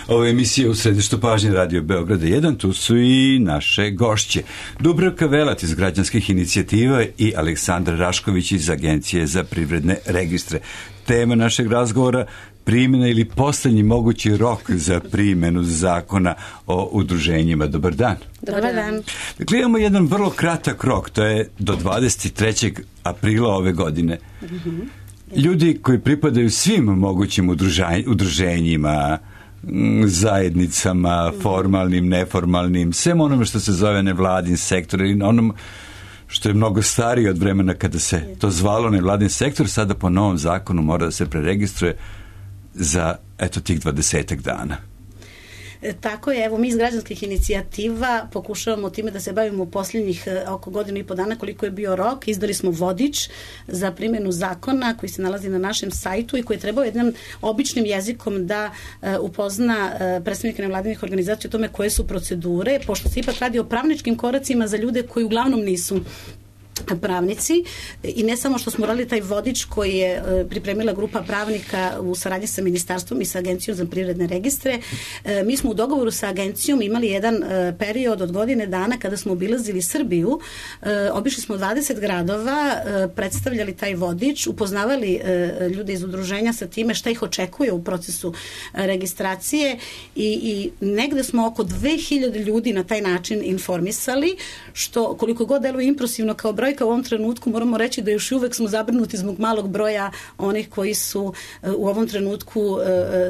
Ovo je emisija u središtu pažnje Radio Beograda 1, tu su i naše gošće. Dubravka Velat iz Građanskih inicijativa i Aleksandra Rašković iz Agencije za privredne registre. Tema našeg razgovora: primjena ili poslednji mogući rok za primjenu zakona o udruženjima. Dobar dan. Dobar dan. Dakle, imamo jedan vrlo kratak rok, to je do 23. aprila ove godine. Ljudi koji pripadaju svim mogućim udruženjima, zajednicama, formalnim, neformalnim, svem onome što se zove nevladin sektor ili onom što je mnogo stariji od vremena kada se to zvalo nevladin sektor, sada po novom zakonu mora da se preregistruje za, eto, tih 20 dana. Tako je, evo mi iz Građanskih inicijativa pokušavamo time da se bavimo u posljednjih oko godinu i po dana koliko je bio rok. Izdali smo vodič za primjenu zakona koji se nalazi na našem sajtu i koji je trebao jednim običnim jezikom da upozna predstavnike nevladinih organizacija o tome koje su procedure, pošto se ipak radi o pravničkim koracima za ljude koji uglavnom nisu pravnici, i ne samo što smo radili taj vodič koji je pripremila grupa pravnika u saradnji sa ministarstvom i sa Agencijom za privredne registre. Mi smo u dogovoru sa agencijom imali jedan period od godine dana kada smo obilazili Srbiju, obišli smo 20 gradova, predstavljali taj vodič, upoznavali ljude iz udruženja sa time šta ih očekuje u procesu registracije i negde smo oko 2000 ljudi na taj način informisali, što koliko god deluje impresivno kao brojka, u ovom trenutku moramo reći da još uvek smo zabrinuti zbog malog broja onih koji su u ovom trenutku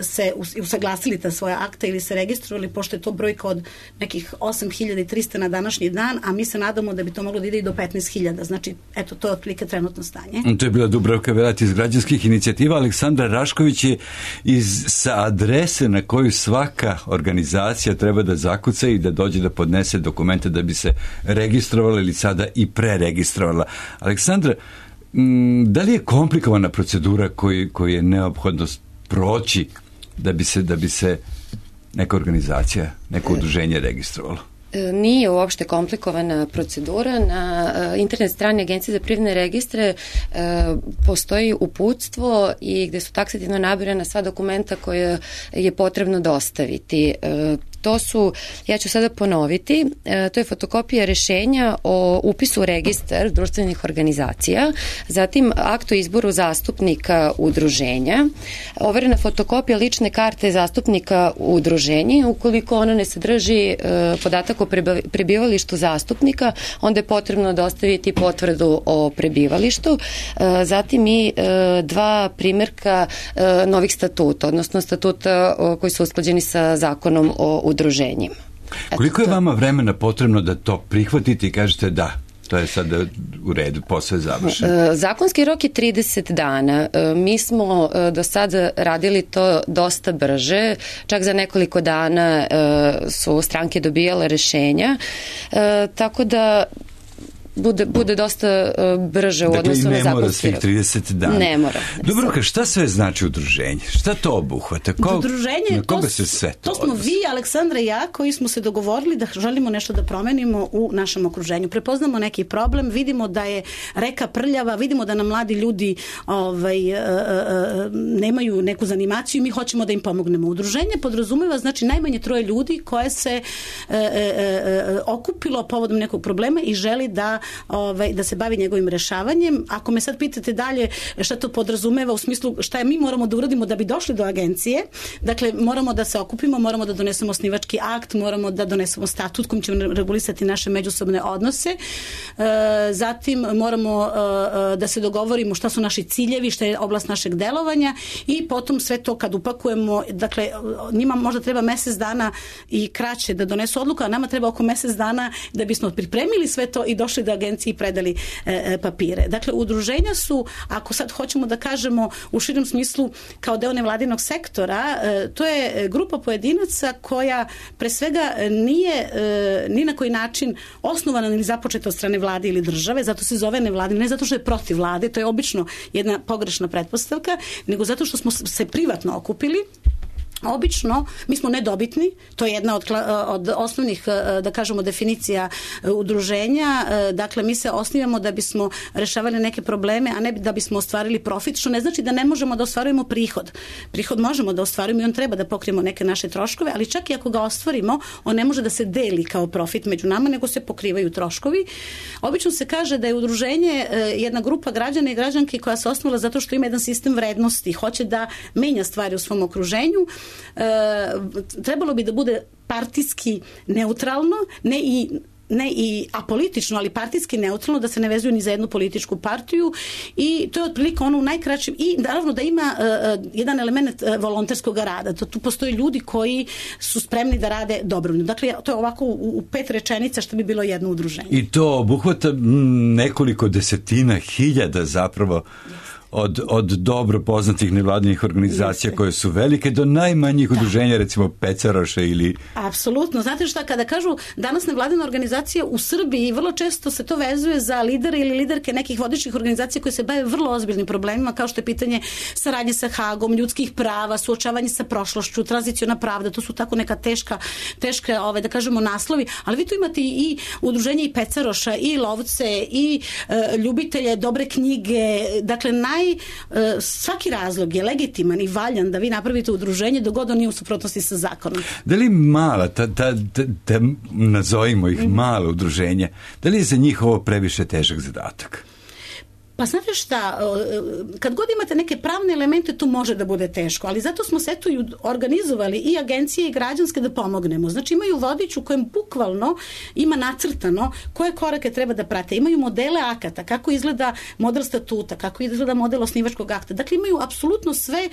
se usaglasili ta svoja akta ili se registrovali, pošto je to brojka od nekih 8300 na današnji dan, a mi se nadamo da bi to moglo da ide i do 15.000. Znači, eto, to je otprilike trenutno stanje. To je bila Dubravka Velat iz Građanskih inicijativa. Aleksandra Rašković je sa adrese na koju svaka organizacija treba da zakuca i da dođe da podnese dokumente da bi se registrovala ili sada i preregistrovala. Aleksandra, da li je komplikovana procedura koju je neophodno proći da bi se neka organizacija, neko udruženje registrovalo? Nije uopšte komplikovana procedura. Na internet strani Agencije za privredne registre postoji uputstvo i gde su taksativno nabirana sva dokumenta koje je potrebno dostaviti. To su, ja ću sada ponoviti, to je fotokopija rešenja o upisu u registar društvenih organizacija, zatim akt o izboru zastupnika udruženja, overena fotokopija lične karte zastupnika udruženja. Ukoliko ona ne sadrži podatak o prebivalištu zastupnika, onda je potrebno dostaviti potvrdu o prebivalištu, zatim i 2 primjerka novih statuta, odnosno statuta koji su usklađeni sa zakonom o udruženjima. Koliko je vama vremena potrebno da to prihvatite i kažete da, to je sad u redu, posao je završen? Zakonski rok je 30 dana. Mi smo do sada radili to dosta brže, čak za nekoliko dana su stranke dobijale rešenja, tako da bude dosta brže u odnosu na zakonski rok. Dakle, ne mora svih 30 dana. Ne mora. Dobro, šta sve znači udruženje? Šta to obuhvata? Udruženje, na koga se sve to smo vi, Aleksandra i ja, koji smo se dogovorili da želimo nešto da promenimo u našem okruženju. Prepoznamo neki problem, vidimo da je reka prljava, vidimo da nam mladi ljudi nemaju neku zanimaciju i mi hoćemo da im pomognemo. Udruženje podrazumeva, znači, najmanje 3 ljudi koje se okupilo povodom nekog problema i želi da se bavi njegovim rešavanjem. Ako me sad pitate dalje šta to podrazumeva u smislu šta mi moramo da uradimo da bi došli do agencije, dakle moramo da se okupimo, moramo da donesemo osnivački akt, moramo da donesemo statut kojim ćemo regulisati naše međusobne odnose, zatim moramo da se dogovorimo šta su naši ciljevi, šta je oblast našeg delovanja i potom sve to kad upakujemo, dakle njima možda treba mesec dana i kraće da donesu odluku, a nama treba oko mesec dana da bismo pripremili sve to i došli do agenciji i predali papire. Dakle, udruženja su, ako sad hoćemo da kažemo u širem smislu kao deo nevladinog sektora, to je grupa pojedinaca koja pre svega nije ni na koji način osnovana ili započeta od strane vlade ili države, zato se zove nevladina, ne zato što je protiv vlade, to je obično jedna pogrešna pretpostavka, nego zato što smo se privatno okupili Obično, mi smo nedobitni, to je jedna od osnovnih, da kažemo, definicija udruženja, dakle mi se osnivamo da bismo rešavali neke probleme, a ne da bismo ostvarili profit, što ne znači da ne možemo da ostvarujemo prihod. Prihod možemo da ostvarujemo i on treba da pokrijemo neke naše troškove, ali čak i ako ga ostvarimo, on ne može da se deli kao profit među nama, nego se pokrivaju troškovi. Obično se kaže da je udruženje jedna grupa građana i građanki koja se osnovala zato što ima jedan sistem vrednosti, hoće da menja stvari u svom okruženju. Trebalo bi da bude partijski neutralno, ne i apolitično, ali partijski neutralno, da se ne vezuju ni za jednu političku partiju, i to je otprilike ono u najkraćem, i naravno da ima jedan element volonterskog rada. Tu postoje ljudi koji su spremni da rade dobrovoljno. Dakle, to je ovako u 5 rečenica što bi bilo jedno udruženje. I to obuhvata nekoliko desetina hiljada zapravo od dobro poznatih nevladinih organizacija koje su velike do najmanjih udruženja, recimo Pecaroša ili... Apsolutno. Znate šta, kada kažu danas nevladina organizacija u Srbiji, vrlo često se to vezuje za lidere ili liderke nekih vodećih organizacija koje se bave vrlo ozbiljnim problemima, kao što je pitanje saradnje sa Hagom, ljudskih prava, suočavanje sa prošlošću, tranziciona pravda, to su tako neka teška da kažemo naslovi, ali vi tu imate i udruženje i Pecaroša, i lovce, i ljubitelje dobre knjige, dakle svaki razlog je legitiman i valjan da vi napravite udruženje dok god on nije u suprotnosti sa zakonom. Da li mala, nazovimo ih mala udruženja, da li je za njih ovo previše težak zadatak? Pa znate šta, kad god imate neke pravne elemente, to može da bude teško, ali zato smo se tu organizovali i agencije i građanske da pomognemo. Znači imaju vodič u kojem bukvalno ima nacrtano koje korake treba da prate. Imaju modele akata, kako izgleda model statuta, kako izgleda model osnivačkog akta. Dakle, imaju apsolutno sve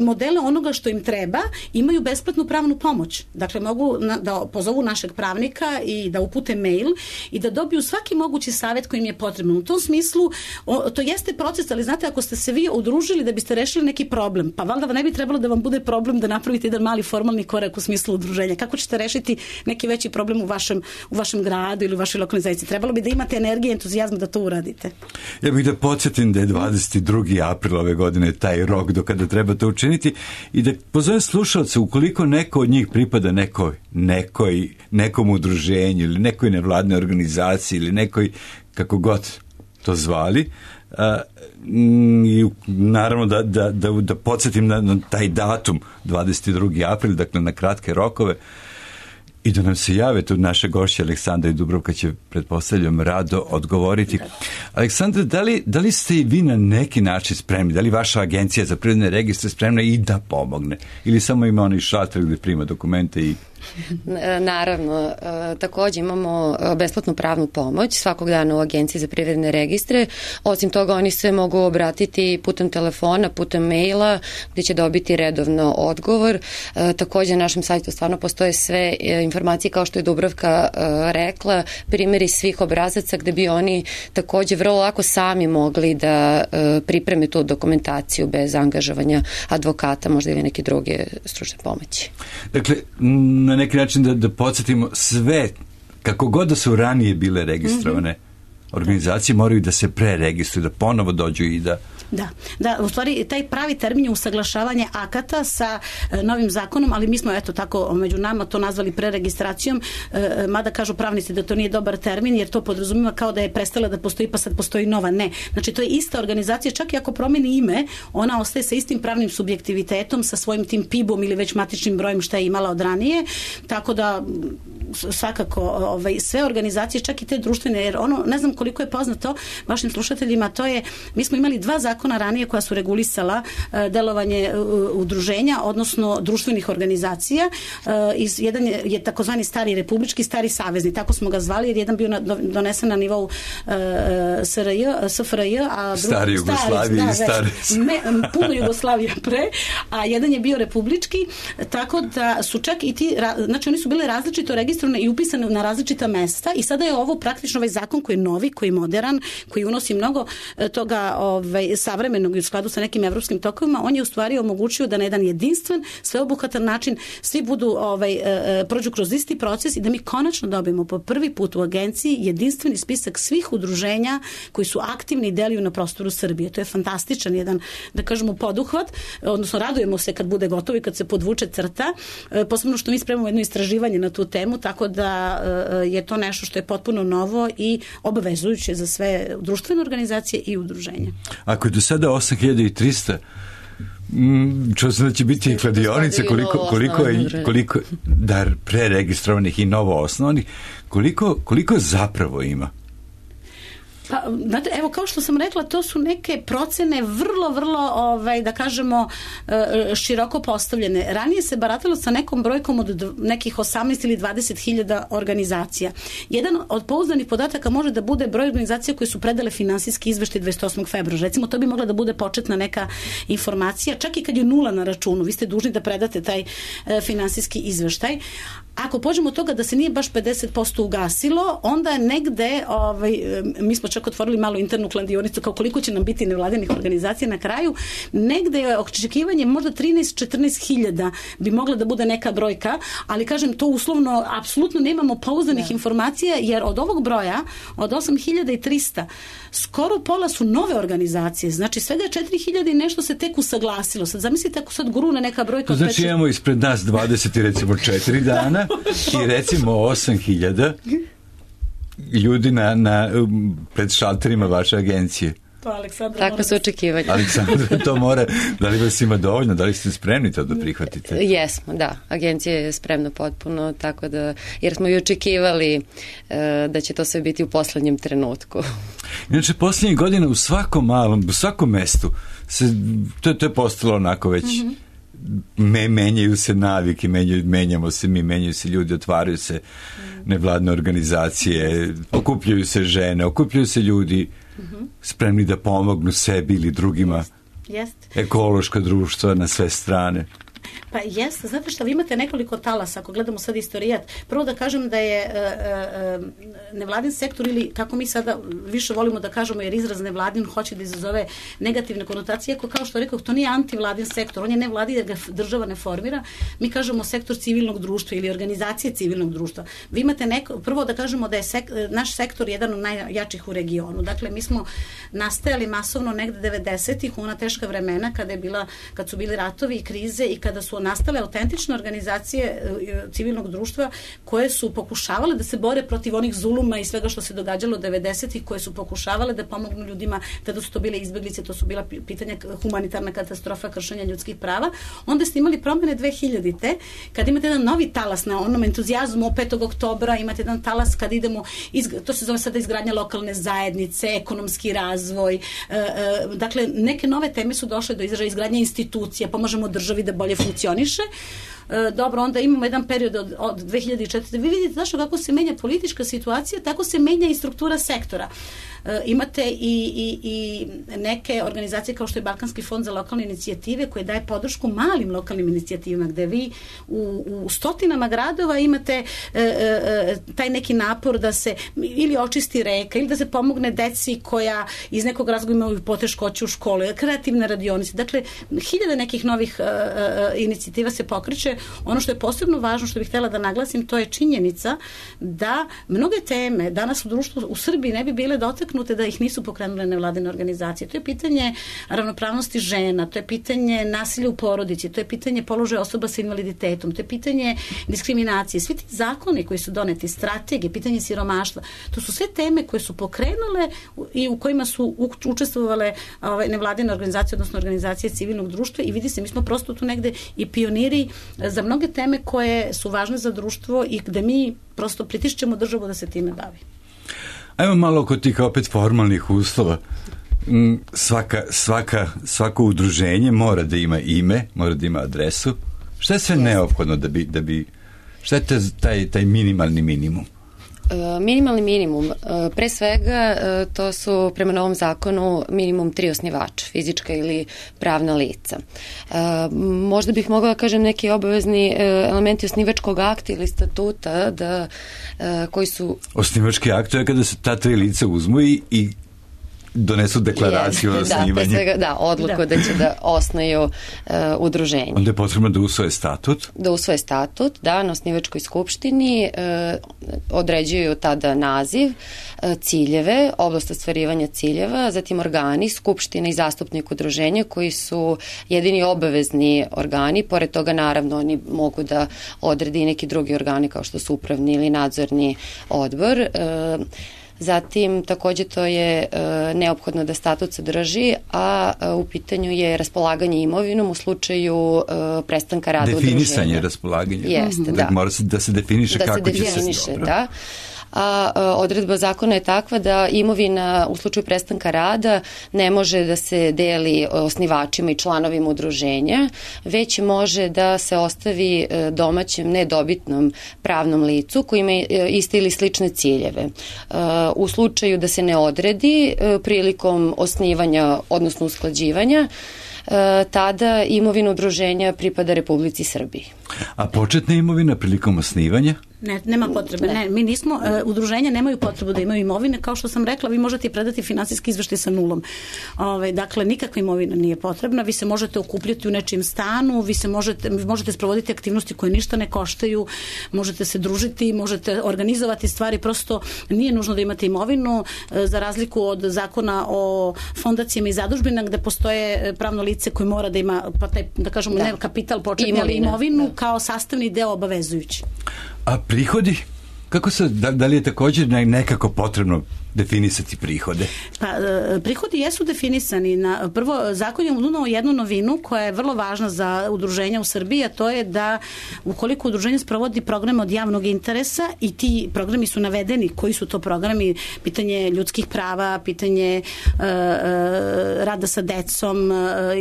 modele onoga što im treba, imaju besplatnu pravnu pomoć. Dakle, mogu da pozovu našeg pravnika i da upute mail i da dobiju svaki mogući savjet koji im je potrebno. U tom smislu to jeste proces, ali znate, ako ste se vi udružili da biste rešili neki problem, pa valjda ne bi trebalo da vam bude problem da napravite jedan mali formalni korak u smislu udruženja. Kako ćete rešiti neki veći problem u vašem gradu ili u vašoj lokalnoj zajednici? Trebalo bi da imate energije i entuzijazma da to uradite. Ja bih da podsjetim da je 22. april ove godine taj rok do kada treba to učiniti i da pozovem slušalce, ukoliko neko od njih pripada nekom udruženju ili nekoj nevladnoj organizaciji ili nekoj, kako god to zvali, i naravno da podsjetim na taj datum 22. april, dakle na kratke rokove, i da nam se jave tu naše gošće Aleksandra i Dubravka će, pretpostavljam, rado odgovoriti. Aleksandra, da li ste i vi na neki način spremni? Da li vaša agencija za privredne registre spremna i da pomogne? Ili samo ima onaj šalter gde prima dokumente i... Naravno, također imamo besplatnu pravnu pomoć svakog dana u Agenciji za privredne registre. Osim toga, oni se mogu obratiti putem telefona, putem maila, gdje će dobiti redovno odgovor. Također na našem sajtu stvarno postoje sve informacije, kao što je Dubravka rekla, primjeri svih obrazaca gdje bi oni također vrlo lako sami mogli da pripreme tu dokumentaciju bez angažovanja advokata, možda ili neke druge stručne pomoći. Dakle, na neki način da podsjetimo sve, kako god da su ranije bile registrovane organizacije, moraju da se preregistruju, da ponovo dođu i da... Da, u stvari taj pravi termin je usaglašavanje akata sa novim zakonom, ali mi smo eto tako među nama to nazvali preregistracijom, mada kažu pravnici da to nije dobar termin jer to podrazumijeva kao da je prestala da postoji pa sad postoji nova. Ne. Znači to je ista organizacija, čak i ako promeni ime, ona ostaje sa istim pravnim subjektivitetom, sa svojim tim PIB-om ili već matičnim brojem što je imala od ranije, tako da svakako sve organizacije, čak i te društvene, jer ono, ne znam koliko je poznato vašim slušateljima, to je, mi smo imali 2 zakona ranije koja su regulisala delovanje udruženja, odnosno društvenih organizacija. Jedan je takozvani stari republički, stari savezni, tako smo ga zvali, jer jedan bio donesen na nivou SFRJ, a stari Jugoslavije i stari... puno Jugoslavija pre, a jedan je bio republički, tako da su čak i ti, znači oni su bile različito registrovani registrovane i upisane na različita mesta i sada je ovo praktično ovaj zakon koji je novi, koji je modern, koji unosi mnogo toga savremenog i u skladu sa nekim evropskim tokovima, on je u stvari omogućio da na jedan jedinstven, sveobuhvatan način svi budu prođu kroz isti proces i da mi konačno dobijemo po prvi put u agenciji jedinstveni spisak svih udruženja koji su aktivni i deluju na prostoru Srbije. To je fantastičan jedan, da kažemo, poduhvat, odnosno radujemo se kad bude gotovo i kad se podvuče crta, posebno što mi spremamo jedno istraživanje na tu temu, tako da je to nešto što je potpuno novo i obavezujuće za sve društvene organizacije i udruženja. Ako je do sada 8300, čuo sam da će biti i kladionice, koliko da preregistrovanih i novo osnovnih, koliko zapravo ima? Pa, znate, evo, kao što sam rekla, to su neke procene vrlo, da kažemo, široko postavljene. Ranije se baratalo sa nekom brojkom od nekih 18 ili 20.000 organizacija. Jedan od pouzdanih podataka može da bude broj organizacija koje su predale finansijski izveštaj 28. februara. Recimo, to bi mogla da bude početna neka informacija. Čak i kad je nula na računu, vi ste dužni da predate taj finansijski izveštaj. Ako pođemo od toga da se nije baš 50% ugasilo, onda je negde, mi smo čak otvorili malo internu kladionicu kao koliko će nam biti nevladinih organizacija na kraju, negde je očekivanje možda 13-14 hiljada bi mogla da bude neka brojka, ali kažem to uslovno, apsolutno nemamo pouzdanih informacija, jer od ovog broja, od 8.300, skoro pola su nove organizacije, znači svega 4.000 i nešto se tek usaglasilo. Sad zamislite ako sad grune neka brojka. To znači imamo ispred nas 20 i recimo 4 dana i recimo 8.000 ljudi pred šalterima vaše agencije. Takve su očekivanja. Aleksandra, to mora, da li vas ima dovoljno, da li ste spremni to da prihvatite? Jesmo, da. Agencija je spremna potpuno, tako da, jer smo i očekivali da će to sve biti u poslednjem trenutku. Inače, poslednjih godina u svakom mestu, to je postalo onako već, menjaju se navike, menjamo se mi, menjaju se ljudi, otvaraju se nevladne organizacije, okupljaju se žene, okupljaju se ljudi spremni da pomognu sebi ili drugima. Ekološka društva na sve strane. Pa jeste, znate što, vi imate nekoliko talasa, ako gledamo sad istorijat. Prvo da kažem da je nevladin sektor, ili kako mi sada više volimo da kažemo, jer izraz nevladin hoće da izazove negativne konotacije, iako kao što rekao, to nije antivladin sektor, on je nevladin jer ga država ne formira. Mi kažemo sektor civilnog društva ili organizacije civilnog društva. Vi imate prvo da kažemo da je naš sektor jedan od najjačih u regionu. Dakle, mi smo nastajali masovno negde 90-ih, u ona teška vremena kad su bili ratovi i krize i kada su nastale autentične organizacije civilnog društva koje su pokušavale da se bore protiv onih zuluma i svega što se događalo 90-ih, koje su pokušavale da pomognu ljudima, tada su to bile izbeglice, to su bila pitanja humanitarna katastrofa, kršenja ljudskih prava. Onda ste imali promene 2000-te, kad imate jedan novi talas na onom entuzijazmu 5. oktobra, imate jedan talas kad idemo, to se zove sada izgradnja lokalne zajednice, ekonomski razvoj, dakle neke nove teme su došle do izražaja, izgradnja institucija, pomažemo državi da bolje funkcioniše. Dobro, onda imamo jedan period od 2004. Vi vidite zašto kako se menja politička situacija, tako se menja i struktura sektora. Imate i neke organizacije kao što je Balkanski fond za lokalne inicijative koje daje podršku malim lokalnim inicijativama, gde vi u stotinama gradova imate taj neki napor da se ili očisti reka ili da se pomogne deci koja iz nekog razloga imaju poteškoće u školu, kreativne radionice. Dakle, hiljade nekih novih inicijativa se pokreće. Ono što je posebno važno, što bih htjela da naglasim, to je činjenica da mnoge teme danas u društvu u Srbiji ne bi bile dotaknute da ih nisu pokrenule nevladine organizacije. To je pitanje ravnopravnosti žena, to je pitanje nasilja u porodici, to je pitanje položaja osoba sa invaliditetom, to je pitanje diskriminacije. Svi ti zakoni koji su doneti, strategije, pitanje siromaštva, to su sve teme koje su pokrenule i u kojima su učestvovale nevladine organizacije, odnosno organizacije civilnog društva i vidi se, mi smo prosto tu negde i pioniri za mnoge teme koje su važne za društvo i gde mi prosto pritišćemo državu da se time bavi. Ajmo malo oko tih opet formalnih uslova. Svako udruženje mora da ima ime, mora da ima adresu. Šta je sve neophodno da bi šta je taj minimalni minimum? Minimalni minimum. Pre svega to su prema novom zakonu minimum 3 osnivača, fizička ili pravna lica. Možda bih mogla da kažem neki obavezni elementi osnivačkog akta ili statuta koji su... Osnivački akt je kada se ta 3 lica uzmu i donesu deklaraciju o osnivanju. Odluku da će da osnuju udruženje. Onda je potrebno da usvoje statut? Da usvoje statut, na osnivačkoj skupštini određuju tada naziv, ciljeve, oblast ostvarivanja ciljeva, zatim organi, skupština i zastupnik udruženja koji su jedini obavezni organi, pored toga naravno oni mogu da odredi i neki drugi organi kao što su upravni ili nadzorni odbor. Zatim, takođe to je neophodno da statut sadrži, a u pitanju je raspolaganje imovinom u slučaju prestanka rada udruženja. Definisanje raspolaganja. Jeste, da. Mora se da se definiše kako će se dobro. Da. A odredba zakona je takva da imovina u slučaju prestanka rada ne može da se deli osnivačima i članovima udruženja, već može da se ostavi domaćem nedobitnom pravnom licu koji ima iste ili slične ciljeve. U slučaju da se ne odredi prilikom osnivanja, odnosno usklađivanja, tada imovina udruženja pripada Republici Srbiji. A početna imovina prilikom osnivanja? Ne, nema potrebe. Ne, mi nismo, udruženja nemaju potrebu da imaju imovine, kao što sam rekla, vi možete predati finansijski izveštaj sa nulom. Dakle, nikakva imovina nije potrebna, vi se možete okupljati u nečijem stanu, vi možete sprovoditi aktivnosti koje ništa ne koštaju, možete se družiti, možete organizovati stvari, prosto nije nužno da imate imovinu, za razliku od zakona o fondacijama i zadužbina gde postoje pravno lice koje mora da ima, pa taj, da kažemo, ne kapital početni, ali imovinu kao sastavni deo obavezujući. A prihodi? Kako se, da li je također nekako potrebno definisati prihode? Pa, prihodi jesu definisani. Prvo, zakon je unao jednu novinu koja je vrlo važna za udruženja u Srbiji, a to je da ukoliko udruženje sprovodi program od javnog interesa i ti programi su navedeni, koji su to programi, pitanje ljudskih prava, pitanje rada sa decom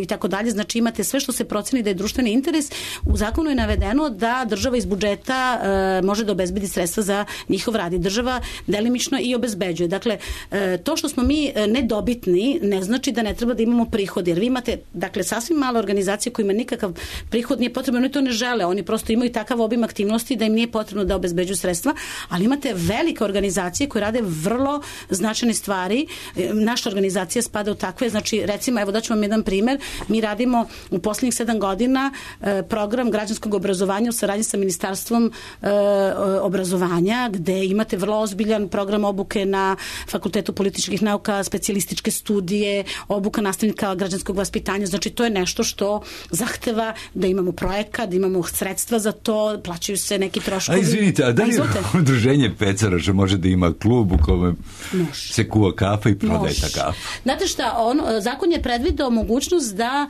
i tako dalje, znači imate sve što se proceni da je društveni interes, u zakonu je navedeno da država iz budžeta može da obezbedi sredstva za njihov rad i država delimično i obezbeđuje. Dakle, to što smo mi nedobitni ne znači da ne treba da imamo prihod, jer vi imate, dakle, sasvim male organizacije koji ima nikakav prihod, nije potrebno, oni to ne žele, oni prosto imaju takav obim aktivnosti da im nije potrebno da obezbeđuju sredstva, ali imate velike organizacije koje rade vrlo značajne stvari. Naša organizacija spada u takve, znači, recimo, evo daću vam jedan primer, mi radimo u poslednjih 7 godina program građanskog obrazovanja u saradnji sa Ministarstvom obrazovanja, gde imate vrlo ozbiljan program obuke na Fakultetu političkih nauka, specijalističke studije, obuka nastavnika građanskog vaspitanja, znači to je nešto što zahteva da imamo projekat, da imamo sredstva za to, plaćaju se neki troškovi. A izvinite, a da li udruženje pecaraša može da ima klub u kome se kuva kafa i prodaje ta kafa? Znate šta, zakon je predvideo mogućnost da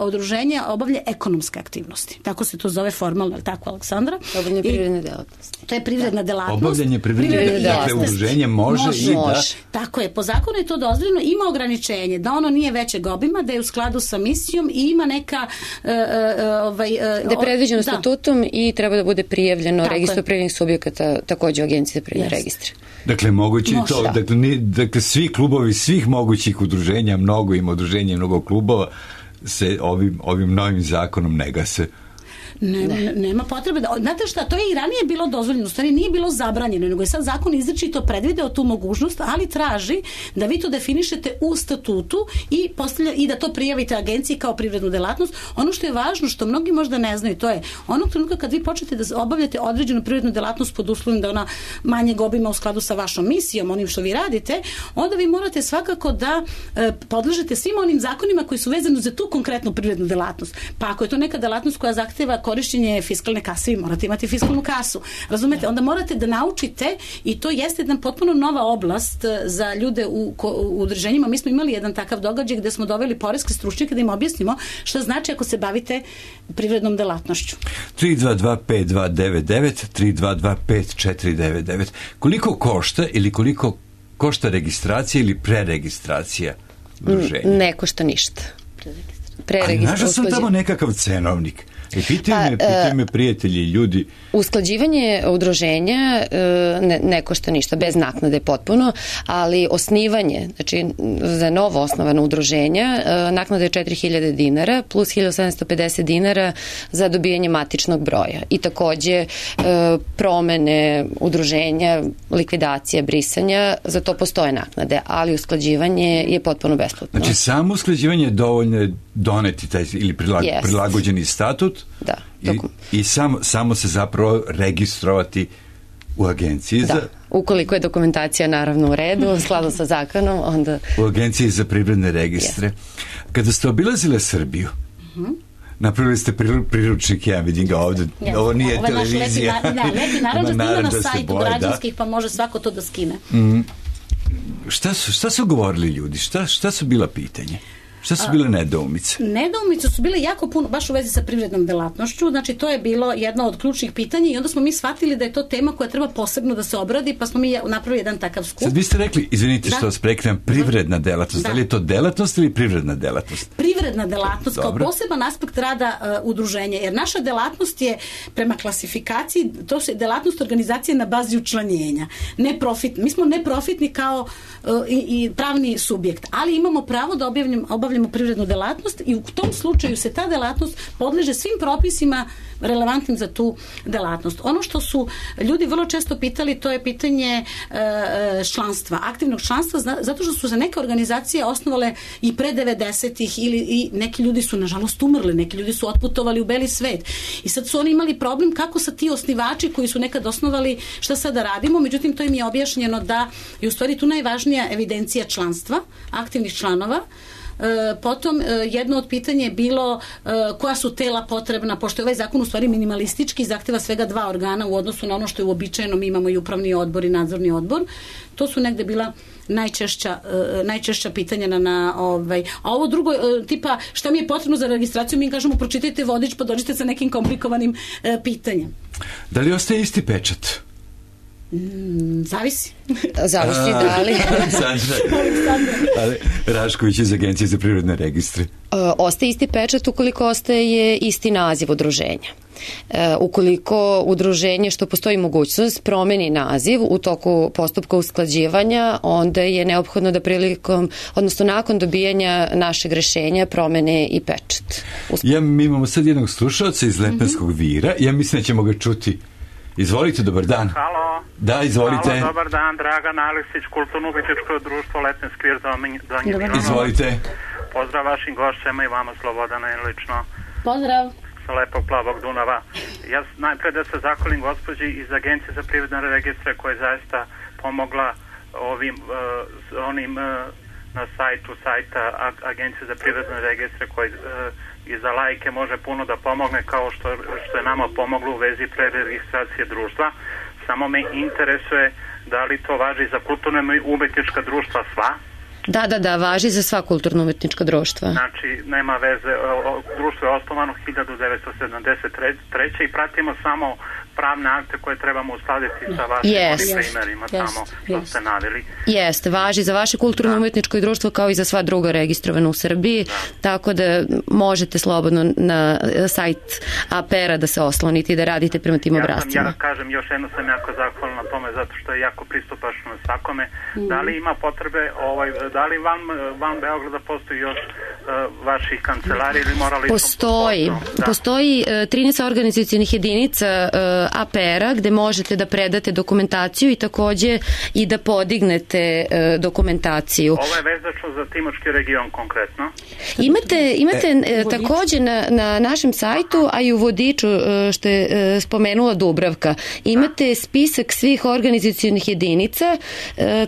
udruženje obavlja ekonomske aktivnosti. Tako se to zove formalno, tako, Aleksandra? Obavljanje privredne delatnosti. To je privredna delatnost. Obavljanje privredne delatnosti. Dakle, udruženje može i da... Tako je, po zakonu je to dozvoljeno, ima ograničenje, da ono nije većeg obima, da je u skladu sa misijom i ima neka... da je predviđeno statutom i treba da bude prijavljeno registru privrednih subjekata, takođe u Agenciji za privredne registre. Dakle, moguće to, dakle, svi klubovi, svih mogućih udruženja, mnogo ima udruženja, mnogo klubova, se ovim novim zakonom ne gase. Nema potrebe da... Znate šta, to je i ranije bilo dozvoljeno, u stvari nije bilo zabranjeno, nego je sad zakon izričito predvideo tu mogućnost, ali traži da vi to definišete u statutu i da to prijavite agenciji kao privrednu delatnost. Ono što je važno, što mnogi možda ne znaju, to je onog trenutka kad vi počnete da obavljate određenu privrednu delatnost pod uslovom da ona manjeg obima u skladu sa vašom misijom, onim što vi radite, onda vi morate svakako da podležete svim onim zakonima koji su vezani za tu konkretnu privrednu delatnost. Pa ako je to neka delatnost koja zahteva korišćenje fiskalne kase, vi morate imati fiskalnu kasu. Razumete? Onda morate da naučite, i to jeste jedna potpuno nova oblast za ljude u udruženjima. Mi smo imali jedan takav događaj gde smo doveli poreske stručnjake da im objasnimo šta znači ako se bavite privrednom delatnošću. 322-5299, 322-5499. Koliko košta ili koliko košta registracija ili preregistracija udruženja? Ne košta ništa. Ali našao sam tamo nekakav cenovnik. Pitaju me prijatelji i ljudi. Usklađivanje udruženja ne košta ništa, bez naknade potpuno, ali osnivanje, znači za novo osnovano udruženja, naknada je 4.000 dinara plus 1.750 dinara za dobijanje matičnog broja. I takođe promene udruženja, likvidacija, brisanja, za to postoje naknade, ali usklađivanje je potpuno besplatno. Znači samo usklađivanje je dovoljno doneti taj ili prilagođeni statut i samo se zapravo registrovati u agenciji za... Ukoliko je dokumentacija naravno u redu, u skladu sa zakonom, onda... U agenciji za privredne registre. Kada ste obilazile Srbiju, napravili ste priručnik, ja vidim ga ovde, ovo nije televizija. Lepi naravno snima na sajtu građanskih, pa može svako to da skine. Šta su govorili ljudi? Šta su bila pitanja? Šta su bile nedoumice? Nedoumice su bile jako puno, baš u vezi sa privrednom delatnošću, znači to je bilo jedno od ključnih pitanja i onda smo mi shvatili da je to tema koja treba posebno da se obradi, pa smo mi napravili jedan takav skup. Sad vi ste rekli, izvinite što vas prekidam, privredna delatnost, da li je to delatnost ili privredna delatnost? Privredna delatnost kao poseban aspekt rada udruženja, jer naša delatnost je prema klasifikaciji, to je delatnost organizacije na bazi učlanjenja. Mi smo neprofitni kao i pravni subjekt, ali imamo pravo da obavljamo privrednu delatnost i u tom slučaju se ta delatnost podleže svim propisima relevantnim za tu delatnost. Ono što su ljudi vrlo često pitali, to je pitanje članstva, aktivnog članstva, zato što su se neke organizacije osnovale i pre 90-ih i neki ljudi su nažalost umrli, neki ljudi su otputovali u beli svet i sad su oni imali problem kako sa ti osnivači koji su nekad osnovali, šta sada radimo, međutim to im je objašnjeno da je u stvari tu najvažnija evidencija članstva, aktivnih članova. Potom jedno od pitanja je bilo koja su tela potrebna, pošto je ovaj zakon u stvari minimalistički, zahteva svega 2 organa u odnosu na ono što je uobičajeno, mi imamo i upravni odbor i nadzorni odbor. To su negde bila najčešća pitanja a ovo drugo, tipa šta mi je potrebno za registraciju, mi kažemo pročitajte vodič pa dođite sa nekim komplikovanim pitanjem. Da li ostaje isti pečat? Zavisi da li. Rašković iz Agencije za privredne registre. Ostaje isti pečat ukoliko ostaje isti naziv udruženja. Ukoliko udruženje, što postoji mogućnost, promeni naziv u toku postupka usklađivanja, onda je neophodno da odnosno nakon dobijanja našeg rešenja promene i pečat. Mi imamo sad jednog slušalca iz Lepenskog Vira, ja mislim da ćemo ga čuti. Izvolite, dobar dan. Halo. Da, izvolite. Halo, dobar dan, Dragan Aleksić, Kulturno-umetničko društvo Lepenski Vir za Milanovac. Izvolite. Pozdrav vašim gošćama i vama, Slobodana, i lično. Pozdrav. Sa lepog plavog Dunava. Ja najpre da se zahvalim gospođi iz Agencije za privredne registre koja je zaista pomogla onim na sajta Agencije za privredne registre koji i za laike može puno da pomogne kao što je nama pomoglo u vezi preregistracije društva. Samo me interesuje da li to važi za kulturno i umetnička društva sva? Da, važi za sva kulturno-umetnička društva. Znači, nema veze, društvo je osnovano 1973. i pratimo samo pravne akte koje trebamo uskladiti sa vašim primerima tamo što ste naveli. Jeste, važi za vaše kulturno-umetničko društvo kao i za sva druga registrovana u Srbiji, tako da možete slobodno na sajt APR-a da se oslonite i da radite prema tim obrascima. Ja kažem, još jedno sam jako zahvalan na tome zato što je jako pristupačno svakome. Da li ima potrebe, da li van Beograda postoji još vaših kancelarija ili morali Postoji 13 organizacionih jedinica APR-a gde možete da predate dokumentaciju i takođe i da podignete dokumentaciju. Ovo je vezačno za Timočki region konkretno? Imate takođe na našem sajtu, a i u vodiču što je spomenula Dubravka, imate spisak svih organizacionih jedinica,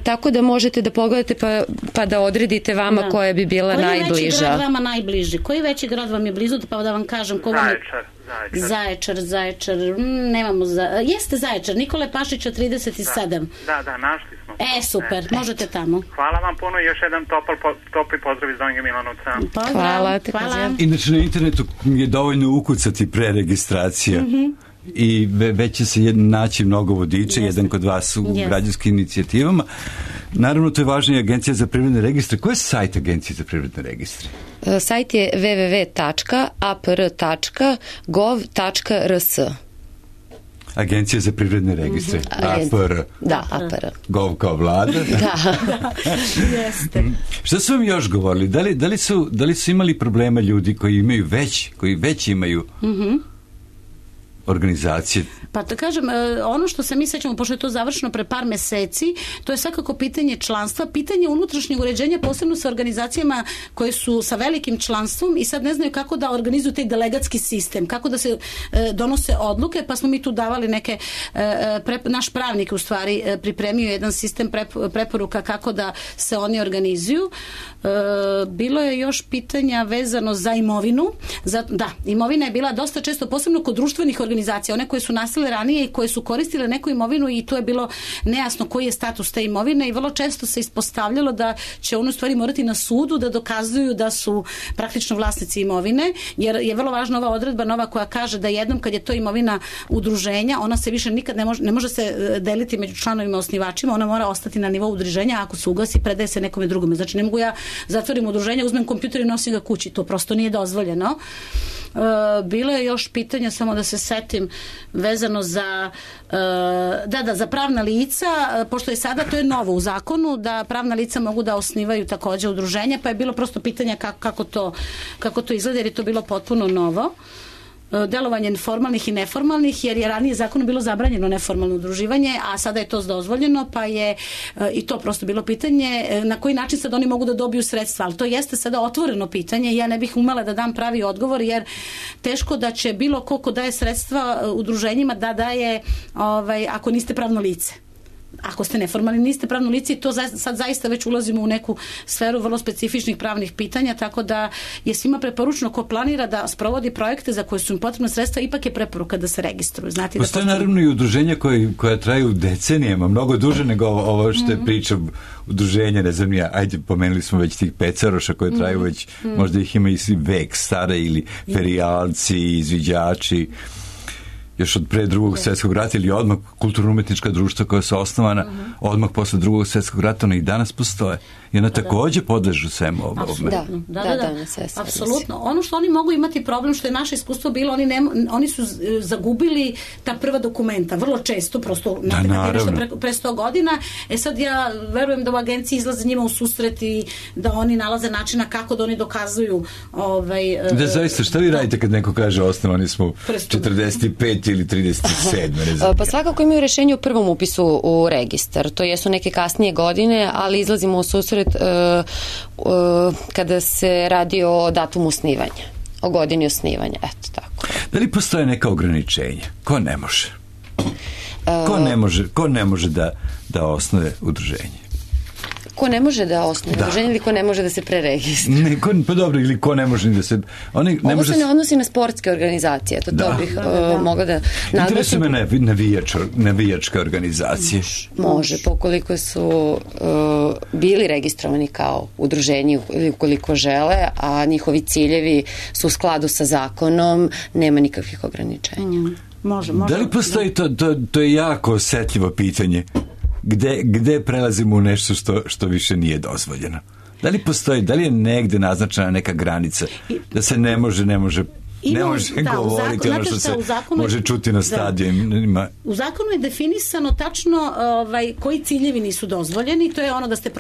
tako da možete da pogledate pa da odredite vama koja bi bila najbliža. Koji veći grad vama najbliži? Koji veći grad vam je blizu? Pa da vam kažem ko vam je... Zaječar, nemamo jeste Zaječar, Nikole Pašića 37. Da, našli smo. Super, možete tamo. Hvala vam puno i još jedan topli pozdrav iz Donjeg Milanovca. Hvala. Inače na internetu je dovoljno ukucati preregistracija. I već će se naći mnogo vodiča, jedan kod vas u građanskim inicijativama. Naravno, to je važno i Agencija za privredne registre. Ko je sajt Agencije za privredne registre? Sajt je www.apr.gov.rs. Agencija za privredne registre. APR. Da, APR. Gov kao vlada. Da. Jeste. Šta su vam još govorili? Da li su imali problema ljudi koji već imaju organizacije? Pa da kažem, ono što se mi sećamo, pošto je to završeno pre par meseci, to je svakako pitanje članstva, pitanje unutrašnjeg uređenja, posebno sa organizacijama koje su sa velikim članstvom i sad ne znaju kako da organizuju taj delegatski sistem, kako da se donose odluke, pa smo mi tu davali neke, naš pravnik u stvari pripremio jedan sistem preporuka kako da se oni organizuju. Bilo je još pitanja vezano za imovinu. Da, imovina je bila dosta često, posebno kod društvenih organizacija, one koje su nastale ranije i koje su koristile neku imovinu i to je bilo nejasno koji je status te imovine i vrlo često se ispostavljalo da će ono stvari morati na sudu da dokazuju da su praktično vlasnici imovine, jer je vrlo važna ova odredba nova koja kaže da jednom kad je to imovina udruženja, ona se više nikad ne može se deliti među članovima osnivačima, ona mora ostati na nivou udruženja, ako se ugasi predaje se nekome drugome. Znači ne mogu ja zatvorim udruženje, uzmem kompjuter i nosim ga kući, to prosto nije dozvoljeno. Bilo je još pitanja, samo da se setim, vezano za za pravna lica, pošto je sada, to je novo u zakonu, da pravna lica mogu da osnivaju takođe udruženja, pa je bilo prosto pitanje kako to izgleda, jer je to bilo potpuno novo. Delovanje formalnih i neformalnih, jer je ranije zakonom bilo zabranjeno neformalno udruživanje, a sada je to dozvoljeno, pa je i to prosto bilo pitanje na koji način sad oni mogu da dobiju sredstva, ali to jeste sada otvoreno pitanje i ja ne bih umela da dam pravi odgovor, jer teško da će bilo ko daje sredstva udruženjima da daje ako niste pravno lice. Ako ste neformalni, niste pravno lice i to sad zaista već ulazimo u neku sferu vrlo specifičnih pravnih pitanja, tako da je svima preporučeno ko planira da sprovodi projekte za koje su im potrebna sredstva, ipak je preporuka da se registruju. Postoje naravno i udruženja koja traju decenijama, mnogo duže nego ovo što je priča udruženja, ne znam ja, ajde, pomenuli smo već tih pecaroša koje traju već, možda ih ima i vek stare ili ferijalci, izviđači, još od pre Drugog svjetskog rata ili odmah kulturno-umetnička društva koja su osnovana odmah posle Drugog svjetskog rata, ona i danas postoje. I ona takođe podležu svemu ovome. Da, apsolutno. Ono što oni mogu imati problem, što je naše iskustvo bilo, oni su zagubili ta prva dokumenta, vrlo često, prosto pre 100 godina. Sad ja verujem da u agenciji izlaze njima u susret i da oni nalaze načina kako da oni dokazuju Da, zaista, šta vi radite kad neko kaže osnovani smo 45 ili 37? Pa svakako imaju rešenje u prvom upisu u registar. To jesu neke kasnije godine, ali izlazimo u susret kada se radi o datumu osnivanja, o godini osnivanja, eto tako. Da li postoje neka ograničenja? Ko ne može? Ko ne može da osnuje udruženje? Ko ne može da osnuje udruženje ili ko ne može da se preregistruje? Pa dobro, ili ko ne može da se... Ovo se ne odnosi na sportske organizacije, to bih mogla da naglasim. Interesuje me navijačke organizacije. Može, pokoliko su bili registrovani kao udruženje ili ukoliko žele, a njihovi ciljevi su u skladu sa zakonom, nema nikakvih ograničenja. Može. Da li postoji, to je jako osetljivo pitanje, gde prelazimo u nešto što više nije dozvoljeno? Da li postoji, da li je negde naznačena neka granica da se ne može govoriti ono što se može čuti na stadionima? U zakonu je definisano tačno koji ciljevi nisu dozvoljeni, to je ono da ste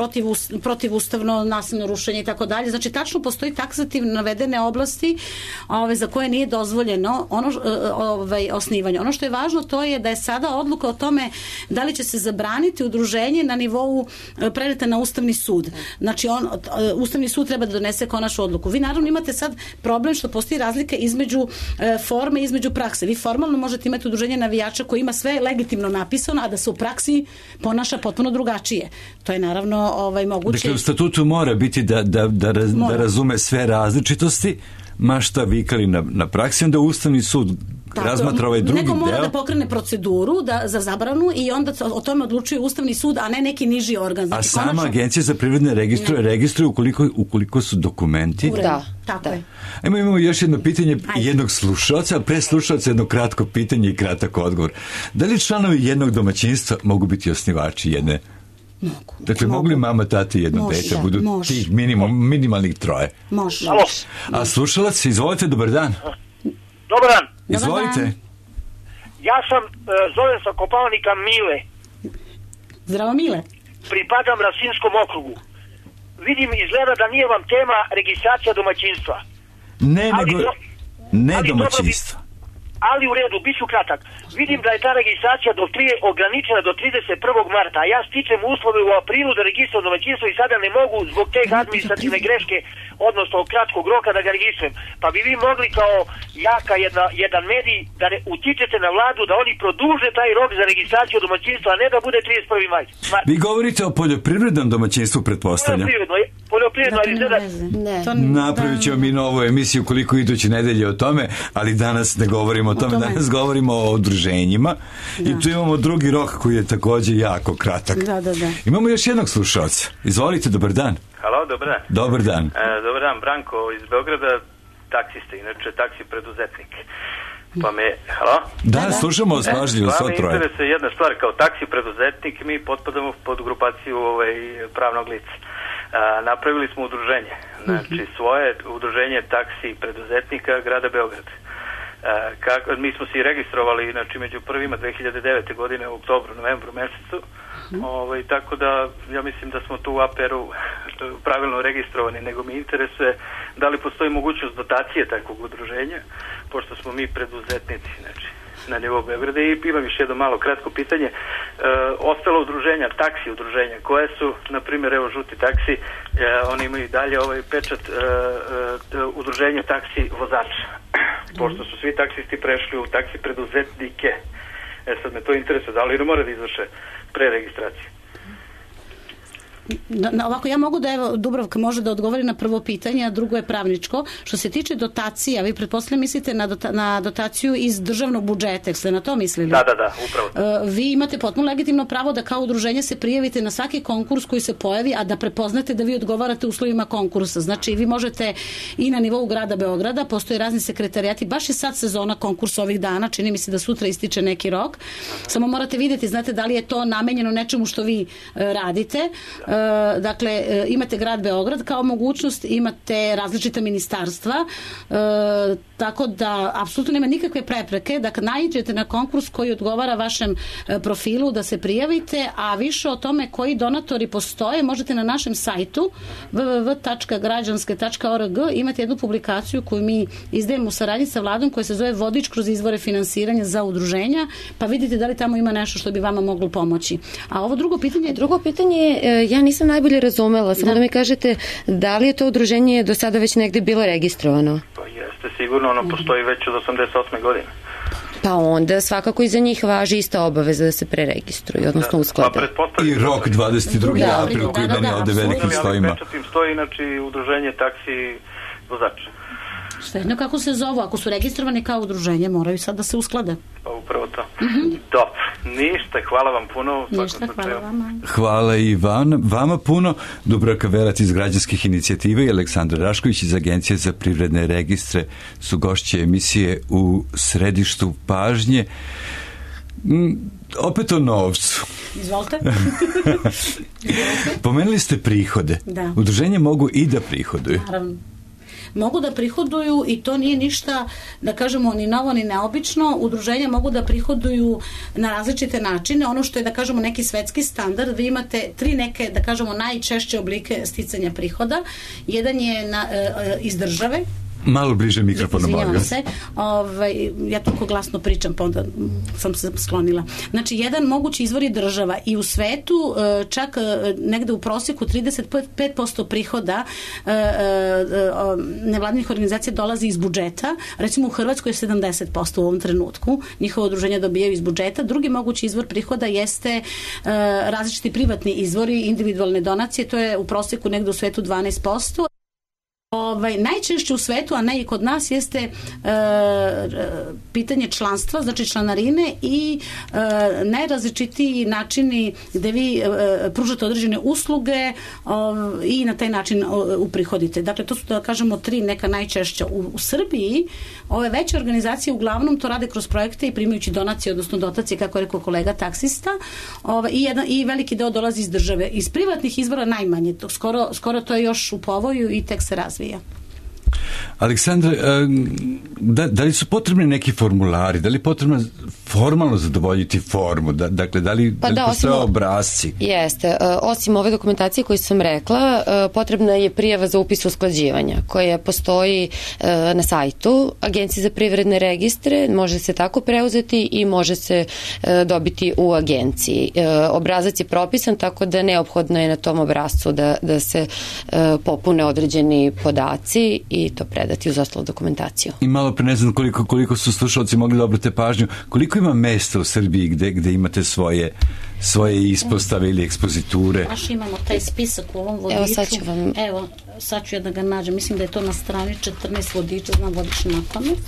protivustavno, nasilno rušenje i tako dalje. Znači tačno postoji taksativno navedene oblasti za koje nije dozvoljeno osnivanje. Ono što je važno to je da je sada odluka o tome da li će se zabraniti udruženje na nivou predata na Ustavni sud. Znači Ustavni sud treba da donese konačnu odluku. Vi naravno imate sad problem što postoji razlika između forme i između prakse. Vi formalno možete imati udruženje navijača koji ima sve legitimno napisano, a da se u praksi ponaša potpuno drugačije. To je naravno moguće. Dakle, u statutu mora biti da razume sve različitosti, ma šta vikali na praksi, onda Ustavni sud razmatra ovaj drugi deo. Neko mora da pokrene proceduru za zabranu i onda o tome odlučuje Ustavni sud, a ne neki niži organ. Znači, sama Agencija za privredne registruje ukoliko su dokumenti. Tako je. Imamo još jedno pitanje jednog slušalca, a pre slušalca jedno kratko pitanje i kratak odgovor. Da li članovi jednog domaćinstva mogu biti osnivači jedne Mogu. Dakle, mogu li mama, tati, jedno dete, budu tih minimalnih troje? Može. A slušalac, izvolite, dobar dan. Dobar dan. Izvolite. Ja sam, zovem sa Kopaonika Mile. Zdravo, Mile. Pripadam Rasinskom okrugu. Vidim, izgleda da nije vam tema registracija domaćinstva. Ne domaćinstva. Ali u redu, bit ću kratak. Vidim da je ta registracija ograničena do 31. marta, a ja stičem uslove u aprilu da registrujem domaćinstvo i sada ne mogu zbog te administrativne greške, odnosno kratkog roka da ga registrujem. Pa bi vi mogli kao jaka jedan medij da utičete na vladu da oni produže taj rok za registraciju domaćinstva, a ne da bude 31. maj. Vi govorite o poljoprivrednom domaćinstvu, pretpostavljam. Poljoprivredno, ali napravit ćemo mi novu emisiju koliko iduće nedelje o tome, ali danas ne govorimo o tome. Danas govorimo o udruženjima i tu imamo drugi rok koji je također jako kratak. Imamo još jednog slušalca. Izvolite, dobar dan. Halo, dobar dan. Dobar dan. Dobar dan, Branko iz Beograda, taksista, inače taksi preduzetnik. Pa me, halo? Da, slušamo vas pažljivo, svo troje. Pa me interesuje jedna stvar, kao taksi preduzetnik mi potpadamo pod grupaciju pravnog lica. Napravili smo udruženje, znači svoje udruženje taksi preduzetnika grada Beograda. Mi smo se i registrovali, znači među prvima 2009. godine u oktobru, novembru mesecu, tako da ja mislim da smo tu u APR-u pravilno registrovani, nego mi interesuje da li postoji mogućnost dotacije takvog udruženja, pošto smo mi preduzetnici, znači na nivou Beograda. I imam još jedno malo kratko pitanje. Ostalo udruženja, taksi udruženja, koje su, na primjer, evo žuti taksi, oni imaju i dalje ovaj pečat udruženja taksi vozača, pošto su svi taksisti prešli u taksi preduzetnike. Sad me to interesuje, da li ne mora da izvrše preregistraciju? Ovako, ja mogu da, evo, Dubravka može da odgovori na prvo pitanje, a drugo je pravničko. Što se tiče dotacija, vi pretpostavljam mislite na dotaciju iz državnog budžeta, ste na to mislili? Da, upravo. Vi imate potpuno legitimno pravo da kao udruženje se prijavite na svaki konkurs koji se pojavi, a da prepoznate da vi odgovarate uslovima konkursa. Znači, vi možete i na nivou grada Beograda, postoje razni sekretarijati, baš je sad sezona konkursa ovih dana, čini mi se da sutra ističe neki rok. Samo morate vidjeti, znate, da li je to namenjeno nečemu što vi radite. Dakle, imate grad Beograd kao mogućnost, imate različita ministarstva, tako da apsolutno nema nikakve prepreke da kad naiđete na konkurs koji odgovara vašem profilu da se prijavite, a više o tome koji donatori postoje možete na našem sajtu www.građanske.org imate jednu publikaciju koju mi izdajemo u saradnji sa vladom koja se zove Vodič kroz izvore finansiranja za udruženja, pa vidite da li tamo ima nešto što bi vama moglo pomoći. A ovo drugo pitanje? Drugo pitanje je, ja nisam najbolje razumela, samo da mi kažete da li je to udruženje do sada već negde bilo registrovano? Pa jeste, sigurno, ono postoji već od 88. godine. Pa onda svakako i za njih važi ista obaveza da se preregistruju, odnosno usklade. I rok 22. april koji meni ovde velikim stojima. Ali pečatim stoji, znači, udruženje taksi vozača. Svejedno kako se zovu, ako su registrovani kao udruženje, moraju sad da se usklade. Pa upravo to. Dobro, ništa, hvala vam puno. Ništa, hvala vama. Hvala i vama puno. Dubravka Velac iz građanskih inicijativa i Aleksandar Rašković iz Agencije za privredne registre su gošće emisije u središtu pažnje. Opet o novcu. Izvolite. Pomenuli ste prihode. Da. Udruženje mogu i da prihoduju. Naravno. Mogu da prihoduju i to nije ništa, da kažemo, ni novo ni neobično. Udruženja mogu da prihoduju na različite načine. Ono što je, da kažemo, neki svetski standard, vi imate 3 neke, da kažemo, najčešće oblike sticanja prihoda. Jedan je iz države. Malo bliže mikrofonu, molim se. Ja toliko glasno pričam, pa onda sam se sklonila. Znači, jedan mogući izvor je država i u svetu čak negde u prosjeku 35% prihoda nevladinih organizacija dolazi iz budžeta. Recimo u Hrvatskoj je 70% u ovom trenutku. Njihovo udruženje dobijaju iz budžeta. Drugi mogući izvor prihoda jeste različiti privatni izvori, individualne donacije. To je u prosjeku negde u svetu 12%. Najčešće u svetu, a ne i kod nas, jeste pitanje članstva, znači članarine i najrazličitiji načini gde vi pružate određene usluge i na taj način uprihodite. Dakle, to su, da kažemo, 3 neka najčešća. U Srbiji ove veće organizacije uglavnom to rade kroz projekte i primajući donacije, odnosno dotacije, kako je rekao kolega, taksista, i veliki deo dolazi iz države. Iz privatnih izvora najmanje. Skoro to je još u povoju i tek se razvija. Aleksandra, da li su potrebni neki formulari, da li je potrebno formalno zadovoljiti formu, dakle da li postoje obrasci? Jeste, osim ove dokumentacije koju sam rekla, potrebna je prijava za upis usklađivanja koja postoji na sajtu Agencije za privredne registre, može se tako preuzeti i može se dobiti u agenciji. Obrazac je propisan, tako da neophodno je na tom obrazcu da se popune određeni podaci i to predati uz ostalu dokumentaciju. I malo pre ne znam koliko su slušalci mogli da obrate pažnju, koliko ima mesta u Srbiji gde imate svoje ispostave ili ekspoziture? Baš imamo taj spisak u ovom vodiču. Evo, sad ću da ga nađem. Mislim da je to na strani 14 vodiča, znam vodič napamet.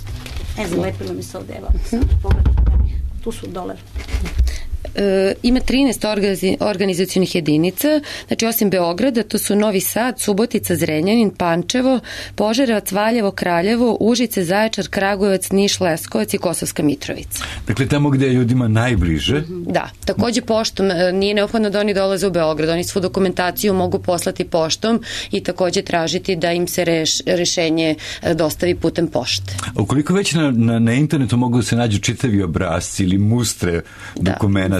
Zalepilo mi se ovde, evo. Tu su dole. Ima 13 organizacionih jedinica, znači osim Beograda, to su Novi Sad, Subotica, Zrenjanin, Pančevo, Požarevac, Valjevo, Kraljevo, Užice, Zaječar, Kragujevac, Niš, Leskovac i Kosovska Mitrovica. Dakle, tamo gde je ljudima najbliže? Da, takođe poštom, nije neophodno da oni dolaze u Beograd, oni svu dokumentaciju mogu poslati poštom i takođe tražiti da im se rešenje dostavi putem pošte. Ukoliko već na internetu mogu da se nađu čitavi obrasci ili mustre dokumenta,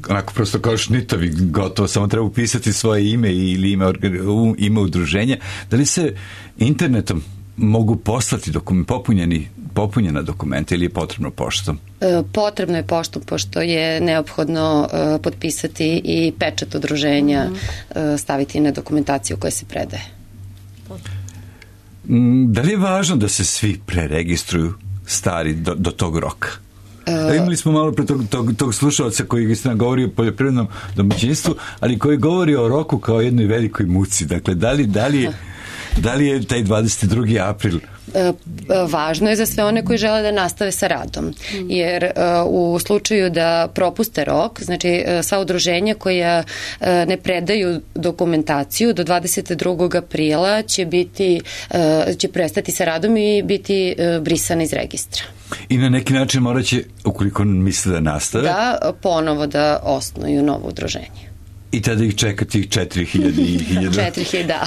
onako prosto kao šnitovi, gotovo, samo treba upisati svoje ime ili ime udruženja. Da li se internetom mogu poslati popunjena dokumenta ili je potrebno poštom? Potrebno je poštom, pošto je neophodno potpisati i pečat udruženja, staviti na dokumentaciju koja se predaje. Da li je važno da se svi preregistruju stari do tog roka? Imali smo malo pre tog slušalca koji istina govori o poljoprivrednom domaćinstvu, ali koji govori o roku kao jednoj velikoj muci. Dakle, da li je taj 22. april? Važno je za sve one koji žele da nastave sa radom, jer u slučaju da propuste rok, znači sva udruženja koja ne predaju dokumentaciju do 22. aprila će prestati sa radom i biti brisana iz registra. I na neki način morat će, ukoliko misle da nastave, ponovo da osnuju novo udruženje. I tada ih čeka tih 4000 i 1000. 4000, da.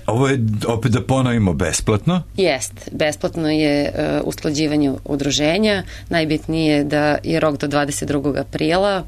Ovo je, opet da ponovimo, besplatno? Jest, besplatno je usklađivanje udruženja, najbitnije je da je rok do 22. aprila.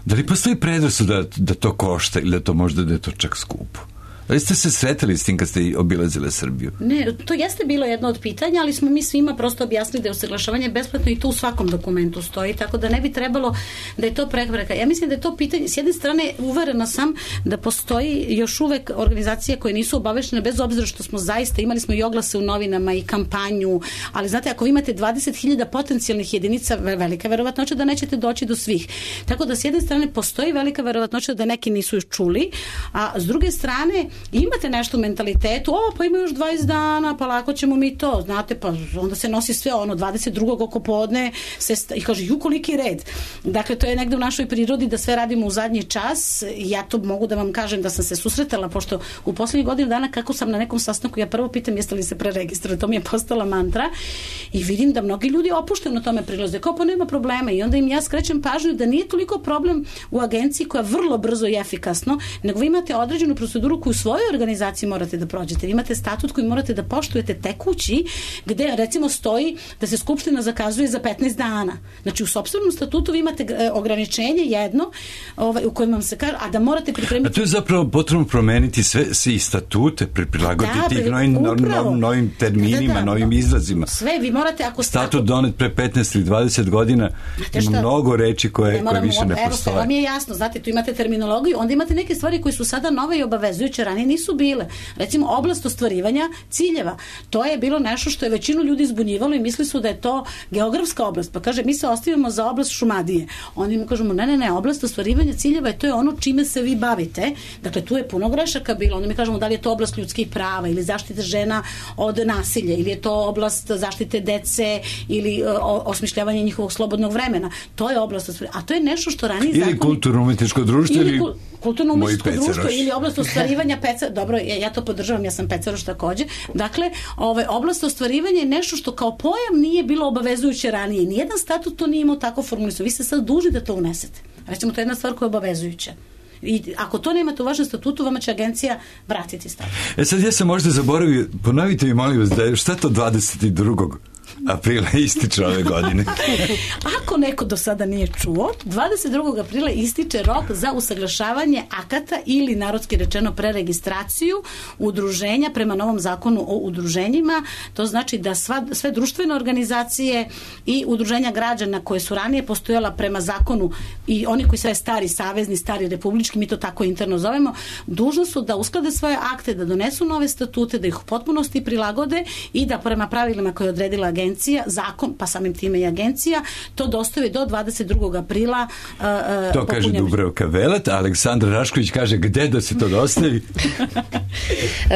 Da li postoji predrasud da to košta ili da je to čak skupo? Da li ste se sretali s tim kad ste obilazile Srbiju? Ne, to jeste bilo jedno od pitanja, ali smo mi svima prosto objasnili da je usaglašavanje besplatno i to u svakom dokumentu stoji, tako da ne bi trebalo da je to prepreka. Ja mislim da je to pitanje, s jedne strane uverena sam da postoji još uvek organizacije koje nisu obaveštene, bez obzira što smo zaista, imali smo i oglase u novinama i kampanju, ali znate, ako imate 20.000 potencijalnih jedinica, velika verovatnoća da nećete doći do svih. Tako da s jedne strane postoji velika verovatnoća da neki nisu još čuli, a s druge strane imate nešto u mentalitetu, pa ima još 20 dana, pa lako ćemo mi to, znate, pa onda se nosi sve 22. oko podne i kaže, koliki red. Dakle, to je negde u našoj prirodi da sve radimo u zadnji čas. Ja to mogu da vam kažem da sam se susretala, pošto u poslednjih godinu dana kako sam na nekom sastanku, ja prvo pitam jeste li se preregistrovali, to mi je postala mantra i vidim da mnogi ljudi opušteno tome prilaze, kao pa nema problema i onda im ja skrećem pažnju da nije toliko problem u agenciji koja vrlo brzo i efikasno, nego vi imate određenu proceduru koju svojoj organizaciji morate da prođete. Vi imate statut koji morate da poštujete tekući, gde recimo stoji da se skupština zakazuje za 15 dana. Znači u sopstvenom statutu vi imate ograničenje jedno u kojem vam se kaže, a da morate pripremiti... A to je zapravo potrebno promeniti sve i statute, prilagoditi ih novim terminima, novim izrazima. Sve, vi morate... Statut donet pre 15 ili 20 godina ima mnogo reči koje više ne postoje. Evo, sve vam je jasno, znate, tu imate terminologiju, onda imate neke stvari koje su sada nove i obavezujuće. ranije nisu bile. Recimo, oblast ostvarivanja ciljeva. To je bilo nešto što je većinu ljudi zbunjivalo i misli su da je to geografska oblast. Pa kaže, mi se ostavimo za oblast Šumadije. Oni mu kažemo, ne, oblast ostvarivanja ciljeva je to je ono čime se vi bavite. Dakle, tu je puno grešaka bilo. Onda mi kažemo da li je to oblast ljudskih prava ili zaštite žena od nasilja ili je to oblast zaštite dece ili osmišljavanje njihovog slobodnog vremena. To je oblast ostvarivanja. A to je nešto što ranije zakoni... Ili kulturno-umetničko društvo ili kulturno-umetničko društvo ili oblast ostvarivanja dobro, ja to podržavam, ja sam peceroš takođe. Dakle, oblast ostvarivanja je nešto što kao pojam nije bilo obavezujuće ranije. Nijedan statut to nije imao tako formulisan. Vi ste sad dužni da to unesete. Recimo, to je jedna stvar koja je obavezujuća. I ako to nemate u vašem statutu, vama će agencija vratiti statut. Sad ja sam možda zaboravio, ponovite mi molim vas da je šta to 22. aprila ističe ove godine. Ako neko do sada nije čuo, 22. aprila ističe rok za usaglašavanje akata ili narodski rečeno preregistraciju udruženja prema novom zakonu o udruženjima. To znači da sve društvene organizacije i udruženja građana koje su ranije postojala prema zakonu i oni koji sve stari savezni, stari republički, mi to tako interno zovemo, dužni su da usklade svoje akte, da donesu nove statute, da ih u potpunosti prilagode i da prema pravilima koje je odredila agencija, zakon, pa samim time i agencija, to dostavi do 22. aprila. To kaže Dubravka Velet, a Aleksandra Rašković kaže gde da se to dostavi?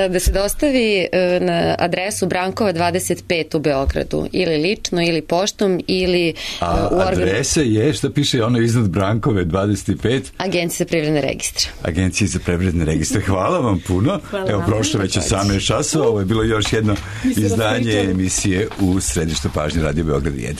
Da se dostavi na adresu Brankova 25 u Beogradu, ili lično, ili poštom, ili u organu. A adresa je, šta piše ono iznad Brankove 25? Agencija za privredne registre. Agencija za privredne registre. Hvala vam puno. Evo, prošlo već 18 časova. Ovo je bilo još jedno izdanje emisije u središtu pažnje Radio Beograd 1.